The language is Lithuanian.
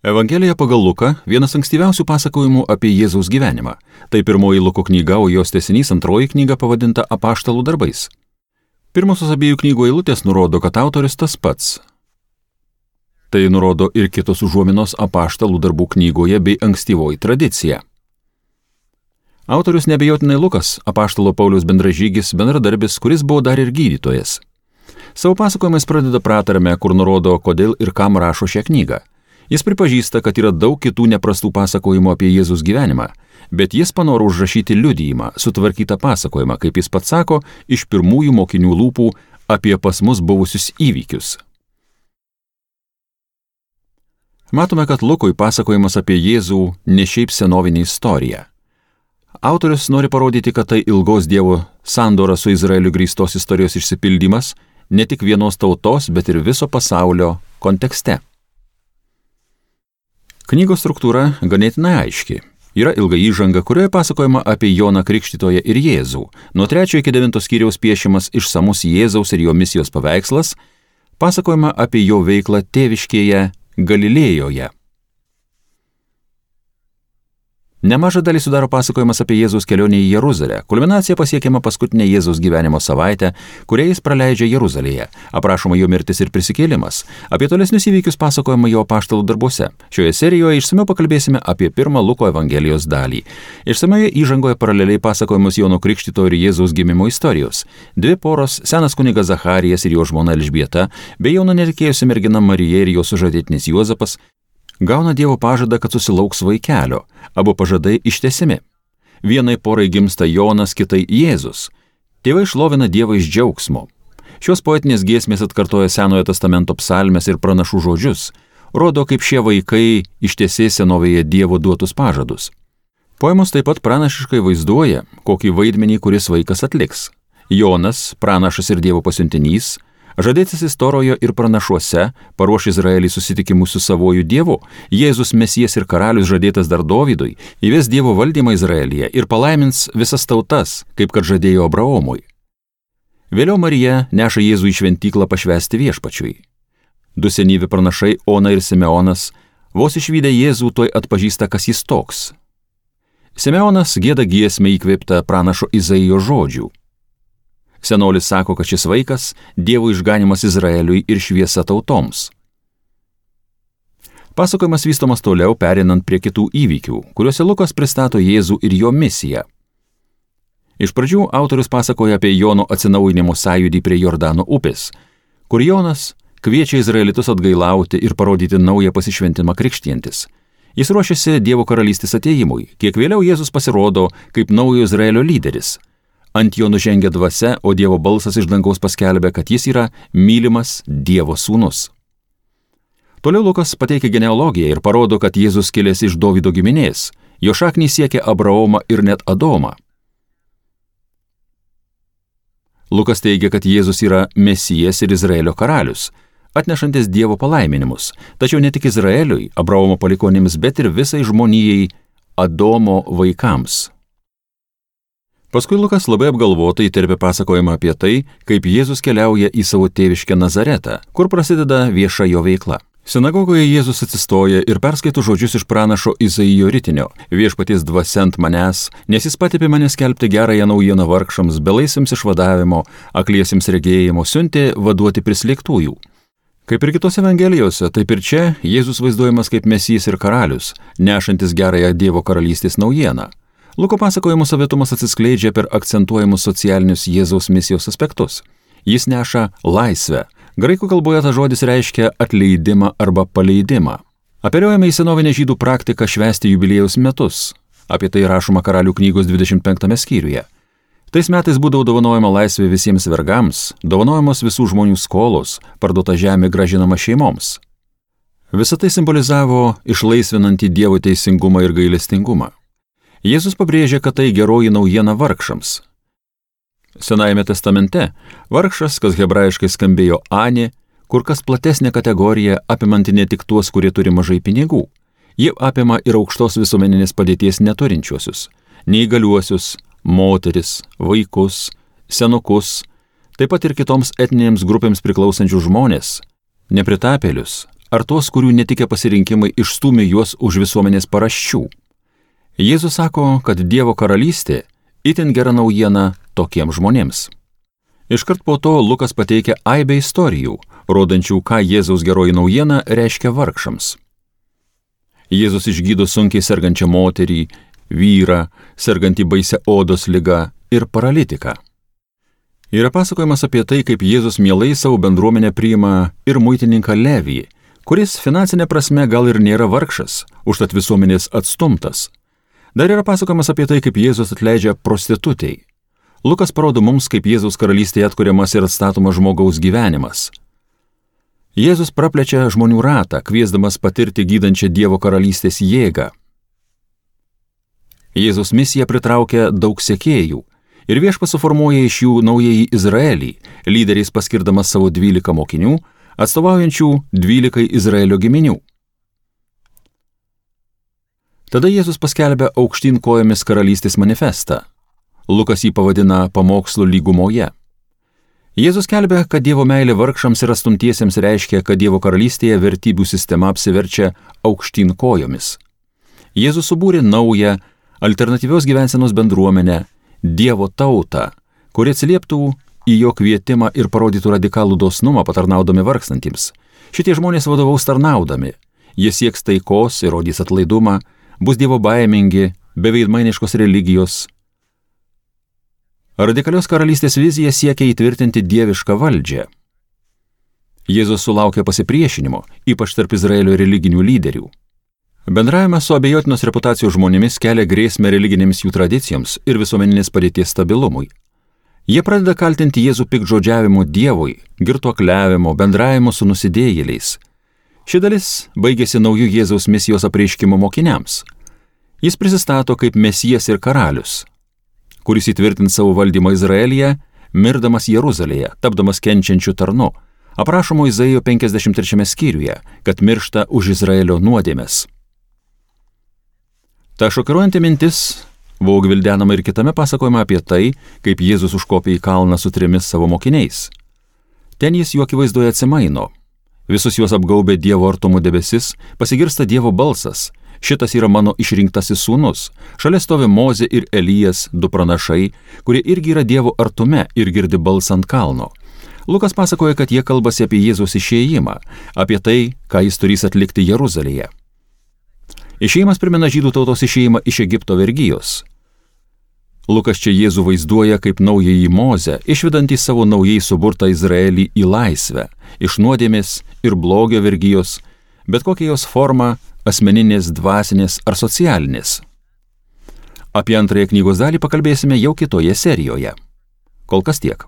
Evangelija pagal Luką vienas ankstyviausių pasakojimų apie Jėzaus gyvenimą. Tai pirmoji Luko knyga, o jos tęsinys antroji knyga pavadinta Apaštalų darbais. Pirmosios abiejų knygų eilutės nurodo, kad autorius tas pats. Tai nurodo ir kitos užuominos Apaštalų darbų knygoje bei ankstyvoji tradicija. Autorius neabejotinai Lukas, Apaštalo Pauliaus bendražygis, bendradarbis, kuris buvo dar ir gydytojas. Savo pasakojimais pradeda pratarme, kur nurodo, kodėl ir kam rašo šią knygą. Jis pripažįsta, kad yra daug kitų neprastų pasakojimų apie Jėzus gyvenimą, bet jis panoro užrašyti liudijimą, sutvarkytą pasakojimą, kaip jis pats sako, iš pirmųjų mokinių lūpų apie pas mus buvusius įvykius. Matome, kad Lukui pasakojimas apie Jėzų ne šiaip senovinė istorija. Autorius nori parodyti, kad tai ilgos Dievo sandora su Izraeliu grįstos istorijos išsipildymas, ne tik vienos tautos, bet ir viso pasaulio kontekste. Knygos struktūra ganėtinai aiški. Yra ilga įžanga, kurioje pasakojama apie Joną Krikštytoją ir Jėzų. Nuo 3 iki 9 skyriaus piešiamas išsamus Jėzaus ir jo misijos paveikslas, pasakojama apie jo veiklą tėviškėje Galilėjoje. Nemažą dalį sudaro pasakojimas apie Jėzaus kelionę į Jeruzalę. Kulminacija pasiekiama paskutinę Jėzaus gyvenimo savaitę, kurią jis praleidžia Jeruzalėje. Aprašoma jo mirtis ir prisikėlimas. Apie tolesnius įvykius pasakojama jo apaštalų darbuose. Šioje serijoje išsamiau pakalbėsime apie pirmą Luko Evangelijos dalį. Išsamioje įžangoje paraleliai pasakojamos Jono Krikštytojo ir Jėzaus gimimo istorijos. Dvi poros, senas kunigas Zacharijas ir jo žmona Elžbieta, bei jauna netikėjusi mergina Marija ir jo sužadėtinis Juozapas, gauna Dievo pažadą, kad susilauks vaikelio. Abu pažadai ištęsiami. Vienai porai gimsta Jonas, kitai Jėzus. Tėvai šlovina Dievą iš džiaugsmo. Šios poetinės giesmės atkartoja Senojo testamento psalmes ir pranašų žodžius. Rodo, kaip šie vaikai ištesė senovėje Dievo duotus pažadus. Poemos taip pat pranašiškai vaizduoja, kokį vaidmenį kuris vaikas atliks. Jonas, pranašas ir Dievo pasiuntinys, žadėtasis Toroje ir pranašuose, paruoš Izraelį susitikimų su savuoju Dievu. Jėzus Mesijas ir karalius žadėtas dar Dovydui, įves Dievo valdymą Izraelyje ir palaimins visas tautas, kaip kad žadėjo Abraomui. Vėliau Marija neša Jėzų į šventyklą pašvęsti viešpačiui. Du senyvi pranašai Ona ir Simeonas, vos išvydę Jėzų, tuoj atpažįsta, kas jis toks. Simeonas gieda giesmę įkvėptą pranašo Izaijo žodžių. Senolis sako, kad šis vaikas Dievo išganimas Izraeliui ir šviesa tautoms. Pasakojimas vystomas toliau, perinant prie kitų įvykių, kuriuose Lukas pristato Jėzų ir jo misiją. Iš pradžių autorius pasakoja apie Jono atsinaujinimo sąjūdį prie Jordano upės, kur Jonas kviečia izraelitus atgailauti ir parodyti naują pasišventimą krikštijantis. Jis ruošiasi Dievo karalystės atėjimui, kiek vėliau Jėzus pasirodo kaip naujo Izraelio lyderis. Ant jo nužengia dvasia, o Dievo balsas iš dangaus paskelbia, kad jis yra mylimas Dievo sūnus. Toliau Lukas pateikia genealogiją ir parodo, kad Jėzus kilęs iš Dovydo giminės. Jo šaknys siekia Abraomą ir net Adomą. Lukas teigia, kad Jėzus yra Mesijas ir Izraelio karalius, atnešantis Dievo palaiminimus, tačiau ne tik Izraeliui, Abraomo palikuonims, bet ir visai žmonijai, Adomo vaikams. Paskui Lukas labai apgalvotai įterpia pasakojimą apie tai, kaip Jėzus keliauja į savo tėviškę Nazaretą, kur prasideda vieša jo veikla. Sinagogoje Jėzus atsistoja ir perskaito žodžius iš pranašo Izaijo ritinio: viešpaties dvasia ant manęs, nes jis patepė mane skelbti gerąją naujieną vargšams, belaisviams išvadavimo, akliesiems regėjimo, siuntė vaduoti prislėgtųjų. Kaip ir kitose Evangelijose, taip ir čia Jėzus vaizduojamas kaip Mesijas ir karalius, nešantis gerąją Dievo karalystės naujieną. Luko pasakojimo savitumas atsiskleidžia per akcentuojamus socialinius Jėzaus misijos aspektus. Jis neša laisvę. Graikų kalboje tas žodis reiškia atleidimą arba paleidimą. Apeliuojame į senovinę žydų praktiką švęsti jubiliejaus metus. Apie tai rašoma Karalių knygos 25 skyriuje. Tais metais būdavo dovanojama laisvė visiems vergams, dovanojamos visų žmonių skolos, parduota žemė grąžinama šeimoms. Visa tai simbolizavo išlaisvinantį Dievo teisingumą ir gailestingumą. Jėzus pabrėžia, kad tai geroji naujiena vargšams. Senajame testamente vargšas, kas hebrajiškai skambėjo Ani, kur kas platesnė kategorija, apimanti ne tik tuos, kurie turi mažai pinigų. Ji apima ir aukštos visuomeninės padėties neturinčiuosius, neįgaliuosius, moteris, vaikus, senukus, taip pat ir kitoms etninėms grupėms priklausančių žmonės, nepritapėlius, ar tuos, kurių netikę pasirinkimai išstūmė juos už visuomenės paraščių. Jėzus sako, kad Dievo karalystė itin gera naujiena tokiems žmonėms. Iškart po to Lukas pateikia aibę istorijų, rodančių, ką Jėzaus geroji naujiena reiškia vargšams. Jėzus išgydo sunkiai sergančią moterį, vyrą, sergantį baisią odos ligą ir paralitiką. Yra pasakojimas apie tai, kaip Jėzus mielai savo bendruomenę priima ir muitininką Levį, kuris finansinė prasme gal ir nėra vargšas, užtat visuomenės atstumtas. Dar yra pasakojimas apie tai, kaip Jėzus atleidžia prostitutei. Lukas parodo mums, kaip Jėzaus karalystėje atkuriamas ir atstatomas žmogaus gyvenimas. Jėzus praplečia žmonių ratą, kviesdamas patirti gydančią Dievo karalystės jėgą. Jėzaus misija pritraukia daug sekėjų ir Viešpats suformuoja iš jų naująjį Izraelį, lyderiais paskirdamas savo 12 mokinių, atstovaujančių 12 Izraelio giminių. Tada Jėzus paskelbia aukštyn kojomis karalystės manifestą. Lukas jį pavadina pamokslu lygumoje. Jėzus skelbia, kad Dievo meilė vargšams ir atstumtiesiems reiškia, kad Dievo karalystėje vertybių sistema apsiverčia aukštyn kojomis. Jėzus subūrė naują, alternatyvios gyvensenos bendruomenę, Dievo tautą, kuri atsilieptų į jo kvietimą ir parodytų radikalų dosnumą patarnaudami vargstantiems. Šitie žmonės vadovaus tarnaudami. Jie sieks taikos ir rodys atlaidumą, bus Dievo baimingi, be veidmainiškos religijos. Radikalios karalystės vizija siekia įtvirtinti dievišką valdžią. Jėzus sulaukė pasipriešinimo, ypač tarp Izraelio religinių lyderių. Bendravimas su abejotinos reputacijos žmonėmis kelia grėsmę religinėms jų tradicijoms ir visuomeninės padėties stabilumui. Jie pradeda kaltinti Jėzų piktžodžiavimu Dievui, girtuokliavimu, bendravimu su nusidėjėliais. Ši dalis baigėsi naujų Jėzaus misijos apreiškimo mokiniams. Jis prisistato kaip Mesijas ir karalius, kuris įtvirtins savo valdymą Izraelyje, mirdamas Jeruzalėje, tapdamas kenčiančiu tarnu, aprašomo Izaijo 53 skyriuje, kad miršta už Izraelio nuodėmes. Ta šokiruojanti mintis buvo gvildenama ir kitame pasakojime apie tai, kaip Jėzus užkopė į kalną su 3 savo mokiniais. Ten jis jų akivaizdoje atsimaino. Visus juos apgaubė Dievo artumo debesis, pasigirsta Dievo balsas. Šitas yra mano išrinktasis sūnus. Šalia stovi Mozė ir Elijas, 2 pranašai, kurie irgi yra Dievo artume ir girdi balsą ant kalno. Lukas pasakoja, kad jie kalbasi apie Jėzaus išėjimą, apie tai, ką jis turės atlikti Jeruzalėje. Išėjimas primena žydų tautos išėjimą iš Egipto vergijos. Lukas čia Jėzų vaizduoja kaip naująjį Mozę, išvedantį savo naujai suburtą Izraelį į laisvę, iš nuodėmės ir blogio vergijos, bet kokia jos forma, asmeninės, dvasinės ar socialinės. Apie antrąją knygos dalį pakalbėsime jau kitoje serijoje. Kol kas tiek.